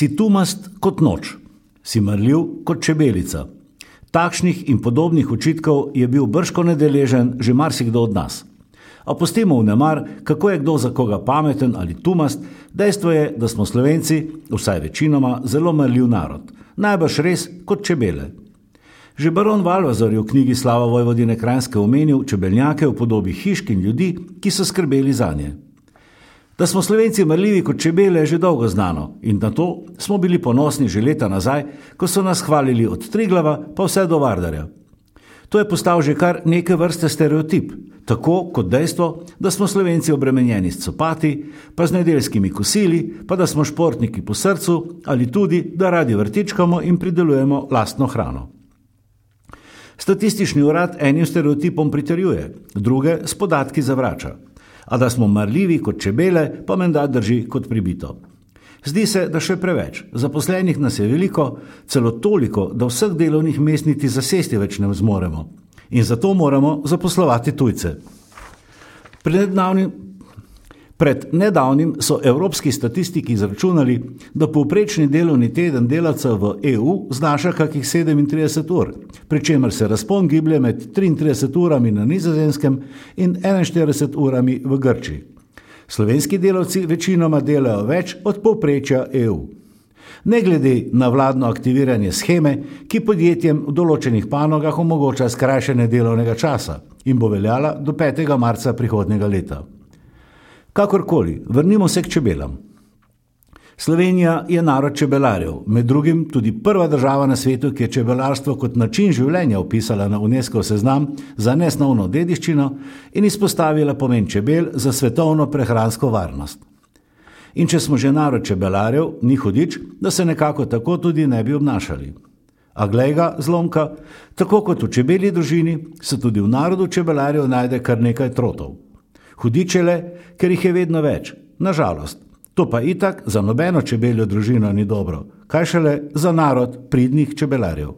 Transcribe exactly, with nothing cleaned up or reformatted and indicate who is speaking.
Speaker 1: Si tumast kot noč, si marljiv kot čebelica. Takšnih in podobnih očitkov je bil bržkone deležen že marsikdo od nas. A pustimo vnemar, kako je kdo za koga pameten ali tumast, dejstvo je, da smo Slovenci, vsaj večinoma, zelo marljiv narod. Najbrž res kot čebele. Že baron Valvazor je v knjigi Slava Vojvodine Kranjske omenil čebelnjake v podobi hišk in ljudi, ki so skrbeli zanje. Da smo Slovenci marljivi kot čebele, je že dolgo znano in na to smo bili ponosni že leta nazaj, ko so nas hvalili od Triglava pa vse do Vardarja. To je postal že kar neke vrste stereotip, tako kot dejstvo, da smo Slovenci obremenjeni s copati, pa z nedeljskimi kosili, pa da smo športniki po srcu ali tudi, da radi vrtičkamo in pridelujemo lastno hrano. Statistični urad enim stereotipom pritrjuje, druge s podatki zavrača. A da smo marljivi kot čebele, pa menda drži kot pribito. Zdi se, da še preveč. Zaposlenih nas je veliko, celo toliko, da vseh delovnih mest niti zasesti več ne zmoremo. In zato moramo zaposlovati tujce. Pred nedavnim, pred nedavnim so evropski statistiki izračunali, da povprečni delovni teden delavca v E U znaša kakih sedemintrideset ur, pri čemer se razpon giblje med triintrideset urami na Nizozemskem in enainštirideset urami v Grčiji. Slovenski delavci večinoma delajo več od povprečja E U. Ne glede na vladno aktiviranje sheme, ki podjetjem v določenih panogah omogoča skrajšanje delovnega časa in bo veljala do petega marca prihodnjega leta. Kakorkoli, vrnimo se k čebelam. Slovenija je narod čebelarjev, med drugim tudi prva država na svetu, ki je čebelarstvo kot način življenja vpisala na Unescov seznam za nesnovno dediščino in izpostavila pomen čebel za svetovno prehransko varnost. In če smo že narod čebelarjev, ni hudič, da se nekako tako tudi ne bi obnašali. A glej ga, zlomka, tako kot v čebelji družini, se tudi v narodu čebelarjev najde kar nekaj trotov. Hudičele, ker jih je vedno več, nažalost. To pa itak za nobeno čebeljo družino ni dobro, kaj šele za narod pridnih čebelarjev.